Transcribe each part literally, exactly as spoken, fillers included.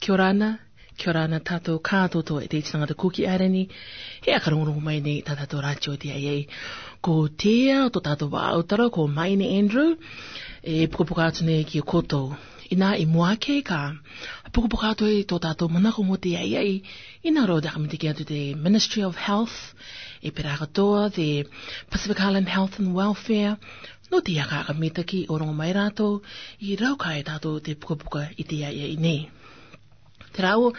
Kia ora na, kia ora na tātou kātoatoa e te iti tangata Kuki Airani, he ʻakarongorongo mai nei tā tātou rātio i te aia. Ko te ʻautara o tō tātou vāʻautara ko Maine Andrew, e pukapuka atu nei ki a koutou. Inā i mua ake ka pukapuka atu i tō tātou manako mo te aia, inā rō te ʻakamitaki atu te Ministry of Health, e pērā katoa te Pacific Island Health and Welfare, nō te aka ʻakamitaki ʻo rongo mai rātou i raukae tātou te pukapuka i te aia nei. Te rāua,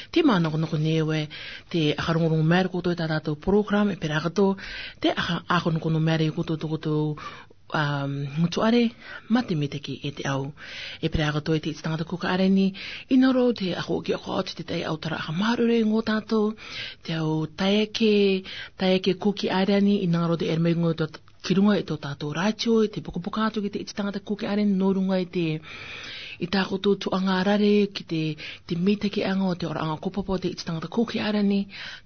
te manakonako nei ʻoe, te ʻakarongorongo mai ra koutou i tā tātou program, e pērā katoa te ʻaka, ʻakarongorongo mai ra i koutou tō koutou, um, motuʻare, mā te mitaki e te ʻau. E pērā katoa e te iti tangata Kuki Airani, inā rō te ʻakoʻi ʻoki atu te tai ʻautara ʻakamāuruuru nō tātou, te ʻau tae ake, tae ake Kuki Airani, inā rō te ʻere mai ngō tō ki runga i tō tātou rātio, i te pukapuka atu ki te iti tangata Kuki Airani, nō runga i te, i tā koutou tuaʻanga rare, ki te, te mitakiʻanga o te ora ʻanga ko papa o te iti tangata Kuki Airani,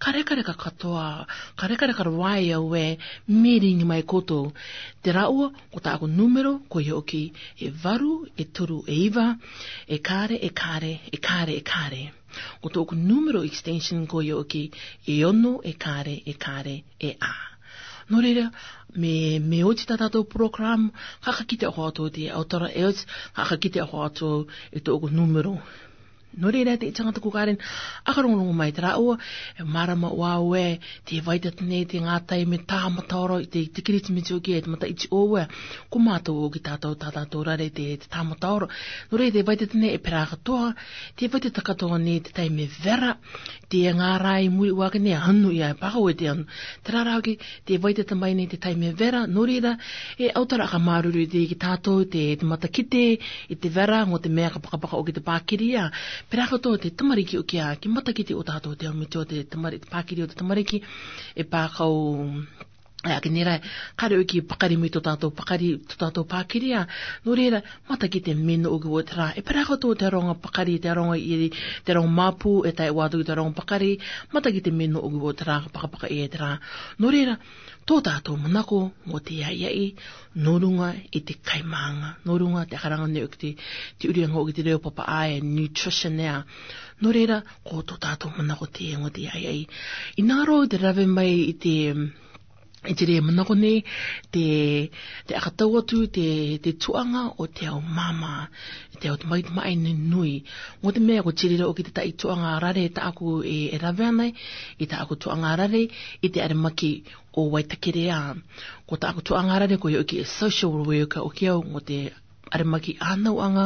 karekareka katoa, karekareka rahi ʻoe, mīrī mai koutou. Te rāua, ko tāʻaku nūmero, ko ia ʻoki, e varu, e toru, e iva, e kare, e kare, e kare, e kare. Ko tōʻoku nūmero extension ko ia ʻoki, e ono, e kare, e kare, e ʻā. Nō reira, mē, mē oti tā tātou program, ka, ka kitea atu te ʻautara e oti, ka, ka kitea atu e tōʻoku nūmero. Nō reira, te iti tangata Kuki Airani, ʻakarongorongo mai te rāua, e mārama ʻoe, te vai tata nei te ngātai mē tāmata ora, te, te Kiritimisi ʻoki, e te mataʻiti ʻoe, ko mātou ʻoki tātou, tā tātou rare te, te tāmata ora. Nō reira, te vai tata nei e pērā katoa, te vai tata katoa nei te taime vera, te ngārai muri ʻoe ake nei anu ia, e pākau e te anu. Te rārā ʻoki, te vai tata mai nei te taime vera, nō reira, e ʻautara ʻakamāuruuru te ki tātou, te, te matakite, i te vera, ngō te mea ka pakapaka ʻoki te pākiri ia. Pērā katoa te tamariki ʻoki ia, ki matakite ʻo tātou te ʻaumito te tamari, te pākiri o te tamariki, e pākau, e ake nei ra, ka reo ki pakari mai tō tātou pakari, tō tātou pākiri ia. Nō reira, matakite mē nō ʻoki ʻo te rā. E pērā katoa te aronga pakari, te aronga ʻiri, te aronga māpu, e tae atu ki te aronga pakari, matakite mē nō ʻoki ʻo te rā, pakapaka e te rā. Nō reira, tō tātou manako, mo te aia, nō runga i te kaimānga, nō runga te ʻakaranga nei ʻoki te, te ʻuriʻanga ʻoki te reo papaʻā e nutrition ia. Nō reira, ko tō tātou manako te, mo te aia. Inā rō te rave mai i te, i te reira manako nei, te, te ʻakatau atu te, te tuaʻanga o te ʻau māmā, te ʻau tamaiti maʻi nui. Ngō te mea ko te reira ʻoki te taʻi tuaʻanga rare tāʻaku e, e rave ana, i tāʻaku tuaʻanga rare, i te aremaki ʻo Waitakere ia. Ko tāʻaku tuaʻanga rare ko ia ʻoki e social worker ʻoki au, ngō te aremaki ʻānauʻanga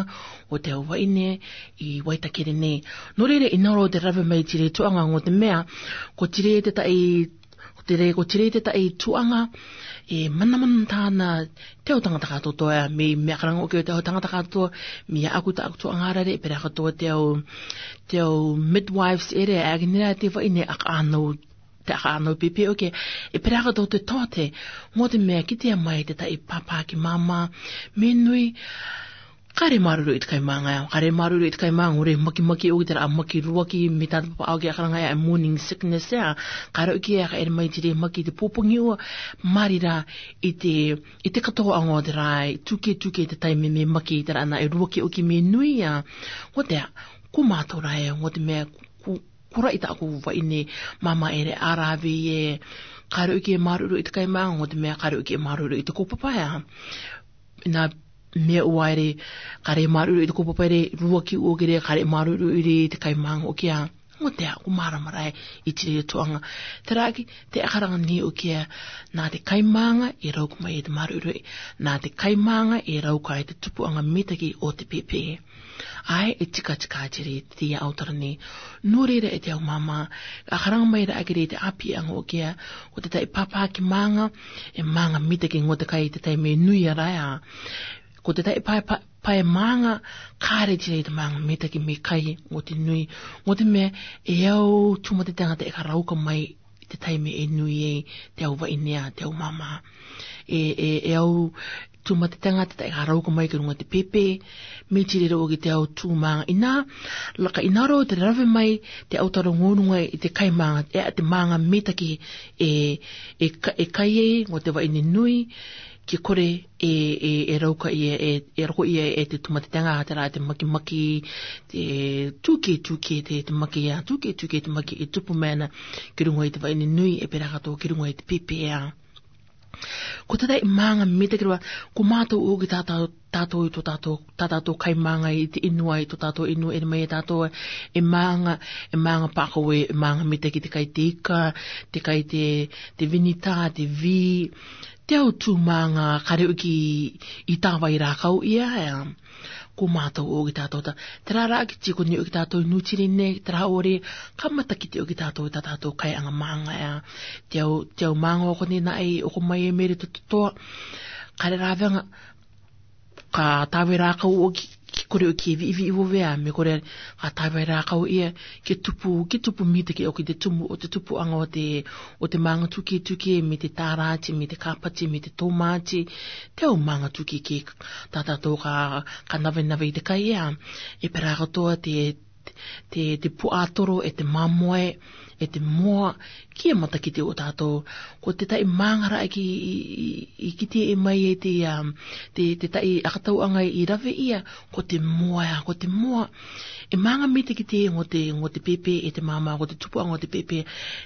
o te ʻau vahine i Waitakere nei. Nō reira, inā rō te rave mai te reira tuaʻanga, ngō te mea, ko te reira te taʻi, ko te reira, ko te reira te taʻi tuaʻanga, e manamana tāna te ʻau tangata kātoatoa, mē, mē ʻakaranga ʻoki te ʻau tangata kātoatoa, mē ʻaku tāʻaku tuaʻanga rare, pērā katoa te ʻau, te ʻau midwives ʻere, e ake nei ra te vahine ʻakaʻānau, te ʻakaʻānau pēpē ʻoki, e pērā katoa te tōte, ngō te mea kitea mai te taʻi pāpāki māmā, mē nui, ka re māuruuru i te kaimānga, ka re māuruuru i te kaimānga, ʻo re makimaki ʻoki te rā, maki ruaki, mē tātou papaʻā ʻoki ʻakaranga e morning sickness ia, ka reo ʻoki e ka ʻere mai te re maki te pōpogi ʻua, mārī rā i te, i te katoaʻanga o te rā, tūkē, tūkē te taime mē maki te rā nā e ruaki ʻoki mē nui ia, ngō te, ko mātou rā e, ngō te mea, ko, ko rai tāʻaku vahine māmā ʻere ʻa rave e, ka reo ʻoki e māuruuru i te kaimānga, ngō te mea ka reo ʻoki e māuruuru i te kaupapa ia. Nā mea ʻua ʻere, ka re māuruuru i te kaupapa ʻere, ruaki ʻua kere, ka re māuruuru ʻere i te kaimānga ʻoki ia. Ngō te ʻaku mārama rā e, i te reira tuaʻanga. Terā ʻoki, te ʻakaranga nei ʻoki ia, nā te kaimānga e rauka mai e te māuruuru, nā te kaimānga e rauka e te tupuʻanga mitaki o te pēpē. ʻAe, e tika tika te reira te ʻautara nei. Nō reira e te ʻau māmā, ʻakaranga mai rā ake rē te ʻāpīʻanga ʻoki ia, ko te taʻi pāpāki mānga, e mānga mitaki ngō te kai te taime nui ia rā ia. Ko te taʻi pae, pae, pae mānga, ka re te reira te mānga mitaki mē kai ngō te nui, ngō te mea, e au tūmatatenga te ʻakarauka mai i te taime e nui ai te ʻau vahine ia, te ʻau māmā. E, e, e au tūmatatenga te taʻi ʻakarauka mai ki runga te pēpē, mē te reira ʻoki te ʻau tū mānga. Inā, laka inā rō te rave mai te ʻautara ngō runga i te kaimānga, e, te mānga mitaki e, e ka-, e kai ai ngō te vahine nui, ke kore e, e, e rauka ia, e, e roko ia e te tūmateteaga, terā te makimaki, te tūkē tūkē te, te maki ia, tūkē tūkē te maki e tupu mena ki ruŋa i te vaʻi ni nui, e pērā katoa ki ruŋa i te pēpē ia. Ko te tahi māga mitaki rua, ko mātou ō ki tātou, tātou i tō tātou, tā tātou kai māga i te inua, i tō tātou inua, e mai e tātou e māga, e māga pākau e, e māga mitaki te kai te ika, te kai te, te vinita, te vī, te au tū māga, ka reo ki i tāvai rākau ia, ea. Ko mātou ō ki tātou tā. Terā rā ki tiko ni ō ki tātou i Nū Tiri nei, terā ʻore, ka matakite ō ki tātou i tā tātou kai anga māga ea. Te au, te au māga ʻo konei nā ʻai, ʻo ko mai e mere to, to, toa. Ka rerā venga, ka tāvai rākau ō ki, ki kore ō ki viʻiviʻi vo vea, me kore ka tāvai rākau ia, ke tupu, ke tupu mitaki ʻo ki te tumu, ʻo te tupuʻaga ʻo te, ʻo te māga tūkē tūkē, me te tārāti, me te kāpati, me te tōmāti, te au māga tūkē kē, tā tātou ka, ka navenave i te kai ea, e pērā katoa te, te, te puaʻatoro, e te māmoe, e te moa, kia matakite ō tātou. Ko te tahi māga rā ki, i, i, i kitea mai e te, um, te, te tahi ʻakatauʻaga i rave ia, ko te moa ea, ko te moa. E māga mitaki te, ʻo te, ʻo te pēpē, e te māmā, ʻo te tupuʻaga ʻo te pēpē.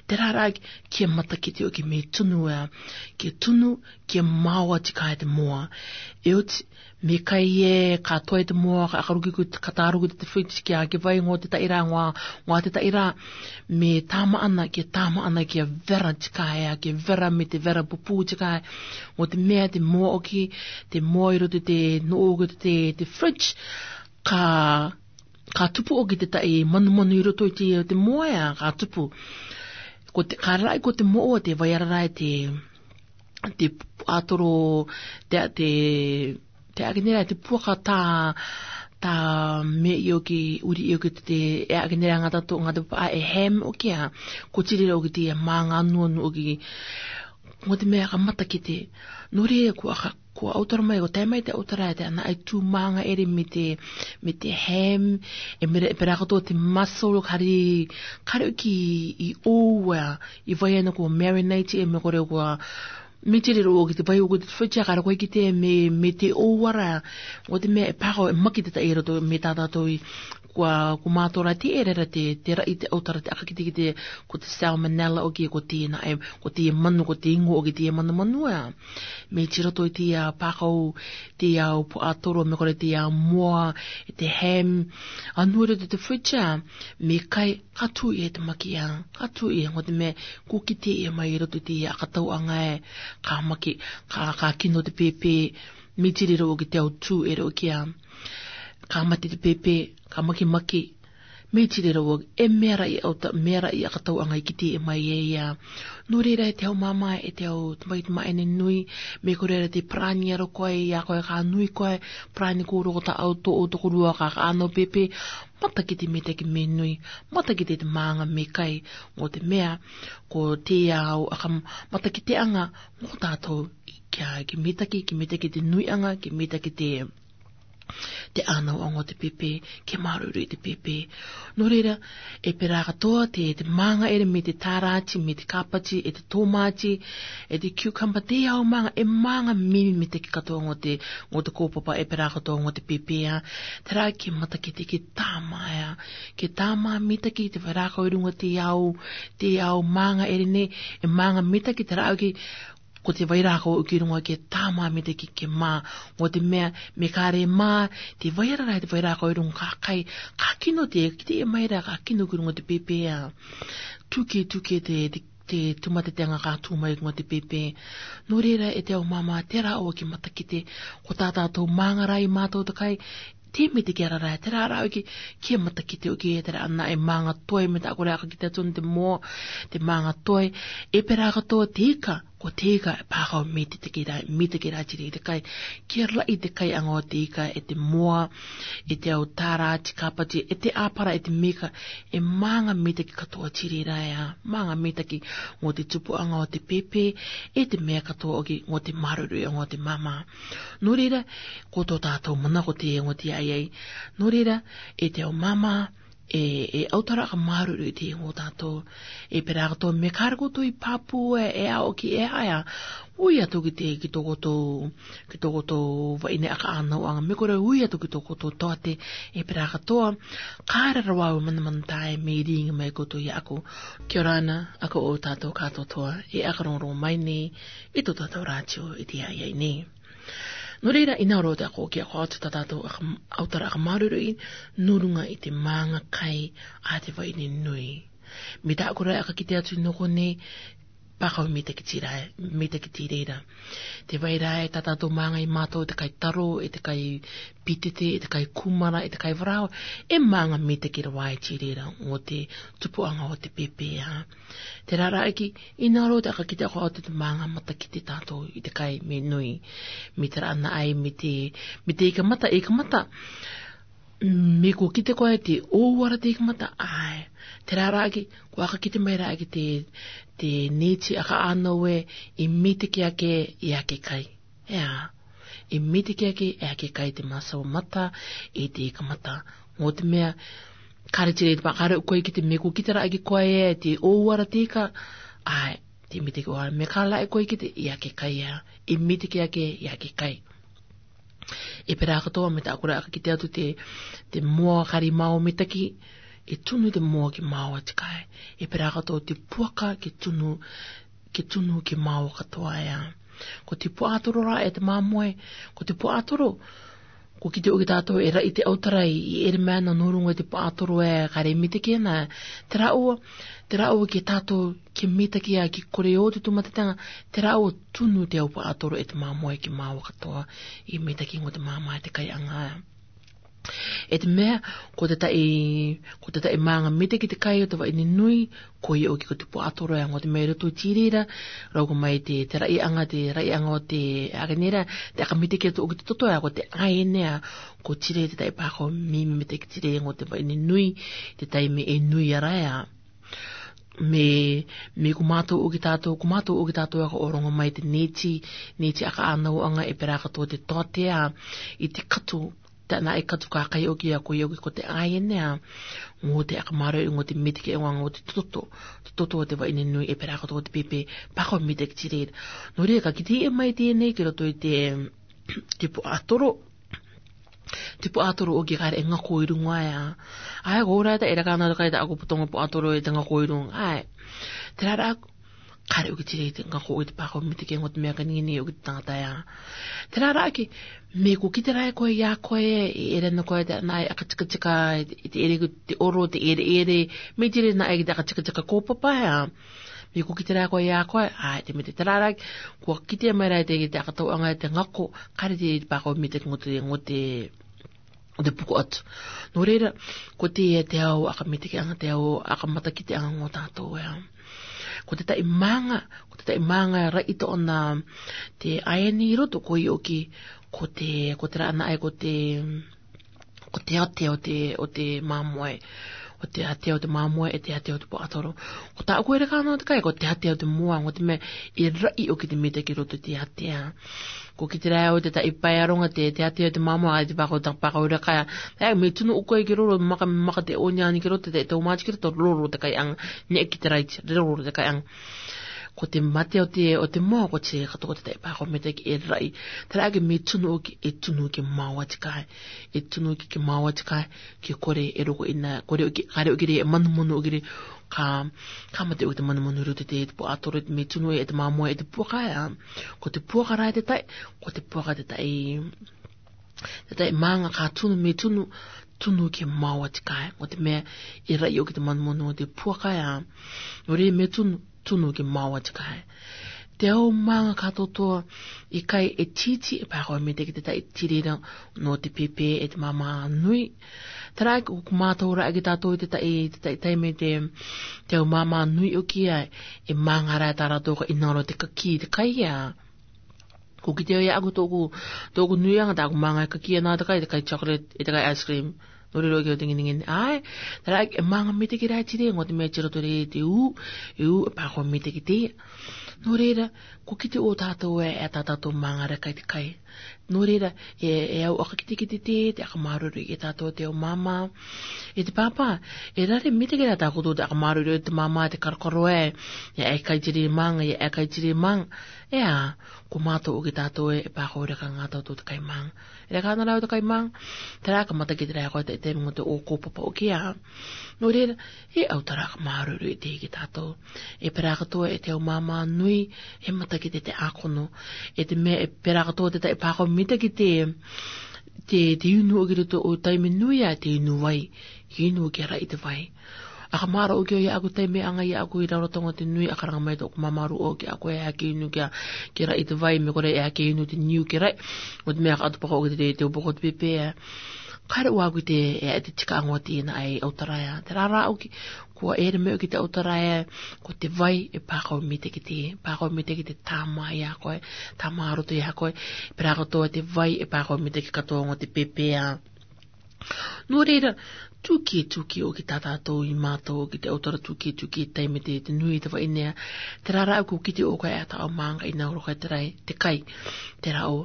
Terā rā, kia matakite ō ke me tunu ea, ke tunu, kia maoa te kai te moa. E oti, me kai e, ka toe te moa, ka ʻakaruki ko, ka tāruki te fridge, kia ke vai ʻo te tahi rā, ʻo, ʻo te tahi rā, me tāmā ʻana, kia tāmā ʻana, kia vera te kai ea, kia vera me te vera pupū te kai, ʻo te mea te moa ʻoki, te moa i roto te, nō ʻoki te, te, te fridge, ka, ka tupu ʻoki te tahi manumanu i roto i te, te moa ea, ka tupu. Ko te, ka raraʻi ko te moa, te vai ara rā e te, te puaʻatoro, te, te, te ʻākenera, te puaka tā, tā me ʻio ki, uri ʻio ki te, e ʻākenera ngata tō, ngata pā e ham ʻoki ā, ko Tiri rā ʻoki te ia māga nuanu ʻoki, ʻo te mea ka matakite, nō reira ko ʻa ka, ko ʻautara mai, ko tae mai te ʻautara, te ʻana ʻai tū māga ʻere me te, me te ham, e mere, e pērā katoa te mussel, ka rere, ka rere ʻoki i ʻōua, i vai ʻana ko marinate, e me kore ko, me Tiri rā ʻoki te vai ʻoki te fridge, ka rere koe ki te me, me te ʻōua rā, ʻo te mea e pākau, e maki te tahi i roto, me tā tātou i, ko, ko mātou rā te ʻere rā te, te raʻi te ʻautara te ʻakakitekite, ko te salmonella ʻoki, ko te nā, e, ko te manu, ko te ingo ʻoki te manumanu ā. Me tiro toe te ia pākau, te ia puaʻatoro, me kore te ia moa, te ham, ʻanua i roto te fridge ā, me kai, ka tū ia te maki ā, ka tū ia, ʻo te mea, ko kitea ia mai i roto te ia ʻakatauʻaga ē, ka maki, ka, ka kino te pēpē, me Tiri rā ʻoki te au tū ʻere ʻoki ā. Ka mate te pēpē, ka makimaki, me Tiri rā ʻoki, e mea rā ia ʻauta, mea rā ia ʻakatauʻaga i kitea mai e ia. Nō reira e te au māmā, e te au tamaiti mā ʻene nui, me kore rā te parani aro koe, ia koe ka nui koe, parani kōrua ko tā ʻau tō, ʻau tokorua ka, ka ʻano pēpē, matakite mitaki me nui, matakite te māga me kai, ʻo te mea, ko te au ʻaka matakiteʻaga, ʻo tātou, kia, ke mitaki, ke mitaki te nuiʻaga, ke mitaki te, te ʻānauʻaga ʻo te pēpē, ke māuruuru i te pēpē. Nō reira, e pērā katoa te, te māga ʻere me te tārāti, me te kāpati, e te tōmāti, e te cucumber, te au māga, e māga mimi mitaki katoa ʻo te, ʻo te kōpapa, e pērā katoa ʻo te pēpē ā. Terā ke matakite ke tāmā ā, ke tāmā mitaki te vai rākau i ruŋa te au, te au māga ʻere nei, e māga mitaki terā ʻoki, ko te vai rākau ʻoki i ruŋa ke tāmā mitaki ke mā, ʻo te mea, me ka rere mā, te vai ara rā te vai rākau i ruŋa ka kai, ka kino te, kitea mai rā, ka kino ki ruŋa te pēpē ā. Tūkē, tūkē te, te, te tūmateteaga ka tū mai ki ruŋa te pēpē. Nō reira e te au māmā, terā ʻoua ke matakite, ko tā tātou māga rā i mātou te kai, te mitaki ara rā, terā rā ʻoki, kia matakite ʻoki e terā ʻana e māga toe, me tā kore ʻakakitekite atu te moa, te māga toe, e pērā katoa te ika, ko te ika e pākau mitaki rā, mitaki rā Tiri i te kai, kia raʻi te kaiʻaga ʻo te ika, e te moa, e te au tārāti, kāpati, e te ʻāpara, e te mika, e māga mitaki katoa Tiri rā ē, māga mitaki ʻo te tupuʻaga ʻo te pēpē, e te mea katoa ʻoki ʻo te māuruuruʻiʻaga ʻo te māmā. Nō reira, ko tō tātou mana ko te ʻoŋa te ʻaiʻai. Nō reira, e te au māmā, E, e autara ka māruiruí te ngon tātou. E pera katoa me kare koutou i pāpū e, e ao ki e haia. Ui atu ki te, ki tō koutou, ki tō koutou vaine aka ānau anga me kore ui atu ki tō koutou tote. E pera katoa, kare rawau manamanatae me ringi mai koutou ia aku. Kia ora na, ako o tātou katoa toa. E aka rongorongo mai nei, i tō tātou rātio i te aia nei. Nō reira, i nā ro te ako ki ako atu tā tātou aka, autara aka māruiruí, nō runga i te mānga kai a te vaine nui. Me tā kore aka kite atu nō konei, pākau me te kiti rā, me te kiti reira. Te vai rā e tā tātou mānga i mātou, e te kai taro, e te kai pitete, e te kai kūmara, e te kai varao, e mānga me te kira wai ti reira, ngō te tupu anga o te pepe a. Te rārā aki, i nā ro te aka kite ako atu te mānga mata kite tātou i te kai me nui. Me te rā ana ai, me te, me te ika mata, ika mata. Me ko kite koe te o ara te ika mata, ai. Te rārā aki, ko aka kite mai rā aki te, te neti aka ānau e, i me te ke ake, i ake kai. Ea, i me te ke ake, e ake kai te māsau mata, i te ika mata. Ngō te mea, kare ti reira te pā, kare koe kite me ko kite rā aki koe e, te o ara te ika, ai, te me te ke o ara, me ka rā e koe kite, i ake kai ea, i me te ke ake, i ake kai. E pera katoa me tā kore aka kite atu te, te moa kare māo mitaki, e tunu te moa ke māoa te kai. E pera katoa te puaka ke tunu, ke tunu ke māoa katoa ea. Ko te puatoro rā e te māmoe, ko te puatoro, ko kite o ki tātou e ra'i te autara i ere mai ana nō runga i te puatoro e kare mitaki ana. Te rāua, te rāua ke tātou ke mitaki a ke kore o te tūmatatanga, te rāua tunu te au puatoro e te māmoe ke māoa katoa, i mitaki ngō te māmā e te kai anga. E te mea, ko te ta'i, ko te ta'i mānga mitaki te kai o te vaine nui, ko ia o ki ko te puatoro e ngō te mea i roto ti reira, rau ko mai te, te ra'i anga, te ra'i anga o te, aka nei rā, te aka mitaki atu o ki te toto e, ko te aenea, ko ti reira te ta'i pākau me, me mitaki ti reira ngō te vaine nui, te taime e nui ara ea. Me, me ko mātou o ki tātou, ko mātou o ki tātou aka o rongo mai te neti, neti aka ānau anga e pera katoa te tote a, i te katu, tā nā e katu ka kai o ki a ko ia o ki ko te aenea, ngō te aka māruiruí ngō te mitaki e ngō te toto, te toto o te vaine nui e pera katoa te pepe, pākau mitaki ti reira. Nō reira ka kite e mai tēnei ki roto i te, te puatoro, te puatoro o ki kare e ngako i runga ea. Ai, ko ora ta era ka nā te kai ta ako putonga puatoro e te ngako i runga. Ai. Te rārā, kare o ki ti reira te ngako i te pākau mitaki e ngō te mea ka nini o ki te tangata ea. Te rārā ki, me ko kite rā e koe ia koe, e ere ana koe te nā e aka tikatika, i te ere ko te oro, te ere ere, me ti reira nā e ki te aka tikatika ko papa ea. Me ko kite rā e koe ia koe, ai, te me te rārā, ko kite mai rā e te, te aka tauanga e te ngako, kare te pākau mitaki ngō te, ngō te, o te puko atu. Nō reira, ko te, te ao aka mitaki anga, te ao aka matakite anga ngō tātou ea. Ko te ta'i mānga, ko te ta'i mānga ra'i tō'ona te aeni i roto ko i o ki, ko te, ko te rā ana ai ko te, ko te ate o te, o te māmoe. O te ate o te māmoe, e te ate o te puatoro. Ko tā'aku ere ka nā te kai, ko te ate o te moa, ngō te mea, e ra'i o ki te mitaki roto te ate a. Ko kite rā e au te ta'i pae aronga te, te ate o te māmoe, ai te pākau, ta pākau ira kai. E, me tunu o koe ki roro, maka, maka te onion ki roto, te, te tōmāti ki roto, roro te kai anga, ne ki te raiti, roro te kai anga. Ko te mate o te, o te moa, ko te katoa te ta'i pākau mitaki e ra'i. Te rā ke me tunu o ki, e tunu ke māoa te kai. E tunu ke, ke māoa te kai, ke kore e roko ina, kore o ki, kare o ki reira e manumanu o ki reira, ka, ka mate o ki te manumanu i roto te, te puatoro, me tunu e te māmoe e te puaka ea. Ko te puaka rā e te ta'i, ko te puaka te ta'i, te ta'i mānga ka tunu, me tunu, tunu ke māoa te kai. Ngō te mea, e ra'i o ki te manumanu o te puaka ea. Nō reira me tunu, tunu ke māoa te kai. Te ao mānga ka tōtōa, i kai e titi, e pākau mitaki te ta'i ti reira, nō te pepe, e te māmā nui. Te rā ko, ko mātou rā ki tātou te ta'i, te ta'i taime te, te ao māmā nui o ki a, e mānga rā e tā rātou ka ina ro te kakī te kai ea. Ko kite au ia aku tō'oku, tō'oku nui anga tā'aku mānga e kakī ana te kai, te kai chocolate, e te kai ice cream. Nō reira o ki o te nginingini. Ai, te rā e mānga mitaki rā ti reira, ngō te mea ti roto reira te u, e u, e pākau mitaki te. Nō reira, ko kite o tātou e, e tā tātou mānga rā kai te kai. Nō reira, e, e au ʻakakitekite te, te ʻakamāuruuru i tātou te au māmā. E te pāpā, e rare mita kē rā tā koutou te ʻakamāuruuru i te māmā te karokaro ē, e ʻai kai te rē mānga, e ʻai kai te rē mānga. E ā, ko mātou ʻoki tātou ē, e pākaureka ngā tātou te kai mānga. E reka ana rā au te kai mānga, terā ka matakite rā koe te, te mō te ō kōpapa ʻoki ā. Nō reira, e au terā ʻakamāuruuru i te hiki tātou. E pērā katoa e te au māmā nui, e matakite te ākono. E te mea, e pērā katoa te taʻe pākau mita ki te, te, te inu ʻoki roto o taime nui ā, te inu vai, inu ki a raʻi te vai. ʻAkamārō ʻoki au ia aku taime anga ia aku i raro tonga te nui, ʻakaranga mai tō māmā rū ʻoki aku e ake inu ki a, ki a raʻi te vai, me kore e ake inu te niu ki a raʻi. ʻO te mea ka atu pākau ʻoki te, te upoko te pēpē ā. Kāre ʻoa aku te, e, te tika ango te nā ai au terā ē. Terā rā ʻoki, kua ʻere mai ʻoki te au terā ē, ko te vai, e pākau mita ki te, pākau mita ki te tāmā ia koe, tāmā roto ia koe, pērā katoa te vai, e pākau mita ki katoa ngō te pēpē ā. Nō reira, tūkē, tūkē ʻoki tā tātou i mātou ʻoki te au terā tūkē, tūkē taime te, te nui te vai nei ā, terā rā ʻoku kite ʻoku e ata au mānga i nā oro kai te rai, te kai, terā ʻo,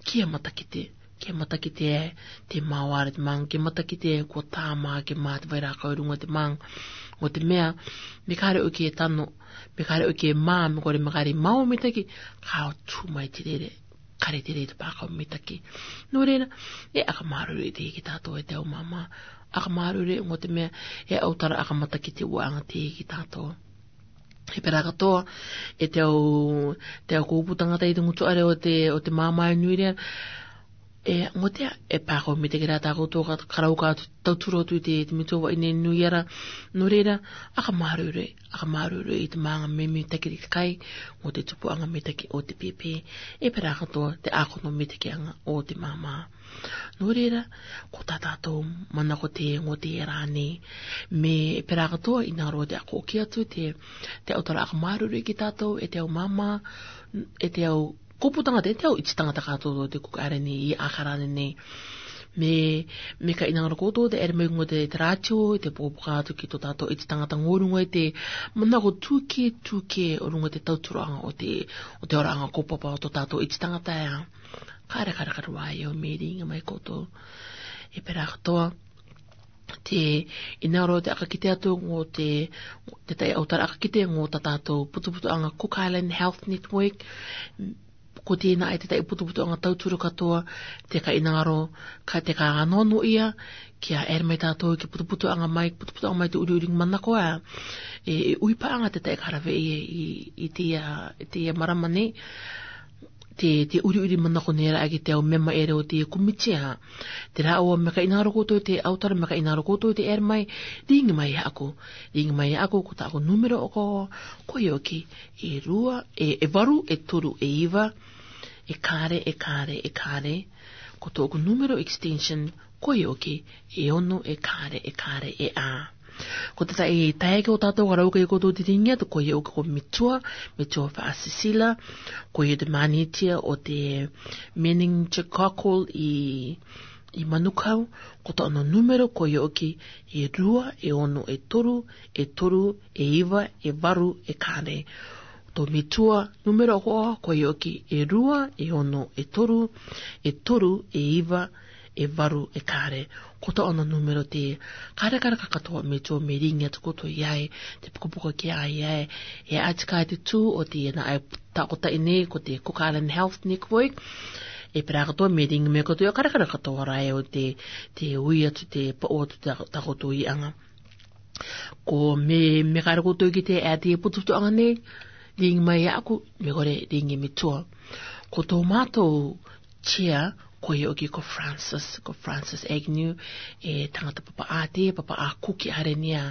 kia matakite, kia matakite ē, te māuare te mānga, kia matakite ē, kua tāmā, kia mā te vai rākau i runga te mānga, ʻo te mea, me kāre ʻoki e tano, me kāre ʻoki e mā, me kore me kāre mau mitaki, ka tū mai te rere. Kāre te rē te pākau mitaki. Nō reira, e ʻakamāuruuru i te hiki tātou e te au māmā. ʻAkamāuruuru ngō te mea, e au terā ʻakamatakite ua anga te hiki tātou. E pērā katoa, e te au, te au kōpū tangata i te ngutu ʻare o te, o te māmā e nui reira. E, ngō te, e pākau mitaki rā tā koutou ka, ka rau ka tauturu atu i te, te mito vai nei nui ara. Nō reira, ʻakamāuruuru, ʻakamāuruuru i te mānga me mitaki te kai, ngō te tupuʻanga mitaki o te pēpē, e pērā katoa te ākono mitakiʻanga o te māmā. Nō reira, ko tā tātou manako te ngō te rā nei, me pērā katoa i nā roa te ako ʻoki atu te, te au terā ʻakamāuruuru ki tātou, e te au māmā, e te au kōpū tangata, e te au iti tangata kātou te kuka ʻare nei, i ʻākara nei. Me, me ka ʻinanga rō koutou te ʻere mai ngō te, te rātio, te pōpoka atu ki tō tātou iti tangata ngō runga i te manako tūkē, tūkē o runga te tauturu anga o te, o te ora anga kōpapa o tō tātou iti tangata ē. Kāre, kāre, kāre wā e au me ringa mai koutou. E pērā katoa, te, i nā roa te ʻakakite atu ngō te, te taʻe au terā ʻakakite ngō tā tātou putuputuʻanga Cook Island Health Network, ko tēnā ai te taʻe putuputuʻanga tauturu katoa, te ka ʻinanga rō, ka te ka anono ia, kia ʻere mai tātou ki putuputuʻanga mai, putuputuʻanga mai te ʻuriʻuri manako ā, e, e ui paʻanga te taʻe ka rave i, i, i te ia, i te ia marama nei, te, te ʻuriʻuri manako nei rā ki te au mema ʻere o te komiti ā. Terā ʻoa me ka ʻinanga rō koutou te au terā me ka ʻinanga rō koutou te ʻere mai, ringi mai ia aku, ringi mai ia aku, ko tāʻaku numero ʻoku, ko ia ʻoki, e rua, e, e varu, e toru, e iva, e kāre, e kāre, e kāre. Ko tōʻaku numero extension, ko ia ʻoki, e ono, e kāre, e kāre, e ā. Ko te taʻe taeake o tātou ka rau kai koutou te ringi atu, ko ia ʻoki ko Metua, Metua Faʻasisila, ko ia te mānitia o te meningococcal i, i Manukau, ko tōna numero, ko ia ʻoki, e rua, e ono, e toru, e toru, e iva, e varu, e kāre. Tō Metua, numero ʻoku, ko ia ʻoki, e rua, e ono, e toru, e toru, e iva, e varu, e kāre. Ko tōna numero te, kāre, kāre, ka katoa Metua me ringi atu koutou ia ē, te pukapuka ki a ia ē, e ati ka te tū o te nā ai takotaʻi nei, ko te Cook Island Health Network, e pērā katoa me ringi mai koutou ia, kāre, kāre, katoa rā e o te, te ui atu te, paʻo atu tā, tā koutou ʻīʻanga. Ko me, me kāre koutou ki te, e te putuputuʻanga nei, ringi mai ia aku, me kore ringi Metua. Ko tō mātou chair, ko ia ʻoki ko Francis, ko Francis Agnew, e tangata papaʻā te, papaʻā kuki ʻare nei ā,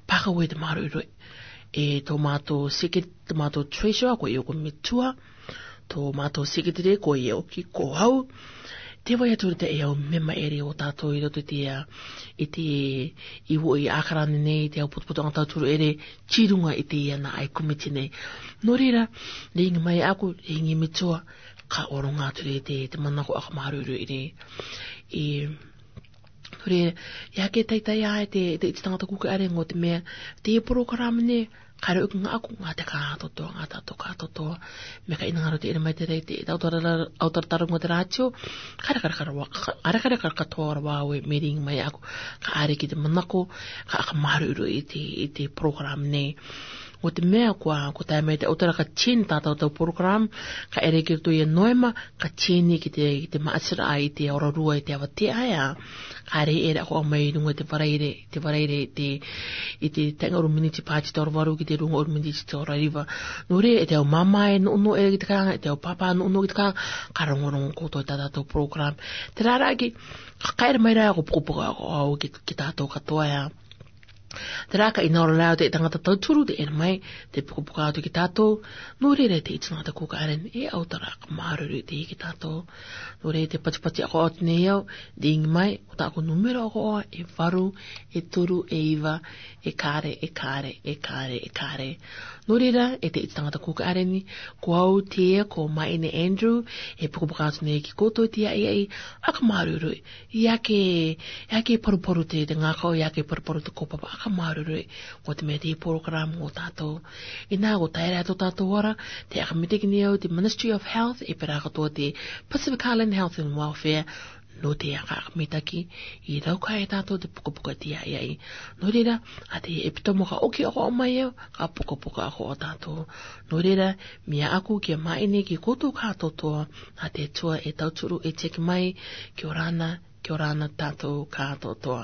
pākahu e te māroiroi. E tō mātou secret-, tō mātou treasurer, ko ia ko Metua, tō mātou secretary, ko ia ʻoki ko au. Te vai atu te e au mema ʻere o tātou i roto i te, i te, i vo i ʻākara nei, te au putuputuʻanga tauturu ʻere, tī runga i te ia nā ai komiti nei. Nō reira, ringi mai aku, ringi Metua, ka ʻoronga atu rē te, te manako ʻakamāroiroi rē. I, nō reira, ia ke taitai ai te, te iti tangata kuki ʻare ngō te mea, te porokarama nei, Ka reo ki nga aku nga te ka toto, nga tato ka toto. Me ka ina nga ro te ina mai te rei te, te autora, autora taro nga te ratio. Ka re ka re ka re wa, ka re ka re ka re ka tora wa we meeting mai aku. Ka are ki te manako, ka aka maru ro i te, i te program ne. Ngo te mea kua, ko tae mai te autora ka chin tato tau program, ka ere ki to ia noema, ka chin i ki te, ki te maasira ai te ora rua i te awa te aia. Ka re ere ako mai runga te varaire, te varaire te, i te tenga uru miniti pati te ora varu ki te runga uru miniti te ora riva. Nō reira, e te au mama e no no e ki te ka, e te au papa no no ki te ka, ka rongo rongo ko to tata to program. Te rara ki, ka kaere mai ra ko puko puko ko au ki, ki tato ka toa ia. Te rā ka ina ora rā te tangata tauturu te ere mai, te puko puko atu ki tato, nō reira te it's not a cook aren, e au tara ka maruru te ki tato. Nō reira te pati pati ako atu nei au, ding mai, ko ta ko numero ako e varu, e turu, e iva, e kare, e kare, e kare, e kare. Nō reira, e te it's tangata kuka areni, ko au te ko mai ne Andrew, e puko puko atu nei ki koto te ai ai, aka maruru, ia ke, ia ke paru paru te, te ngako, ia ke paru paru te ko papa, aka maruru, ko te me te program ko tato. Ina ko taera to tato ora, te aka mite ki nei au te Ministry of Health, e pera ka to te Pacific Island Health and Welfare, nō te aka mitaki, i rau ka e tato te puka puka te ai ai. Nō reira, a te e pito mo ka oki ako mai au, ka puka puka ako o tato. Nō reira, mea aku ki a mai nei ki koto ka toto, a te tua e tauturu e teki mai, ki orana, ki orana tato ka toto.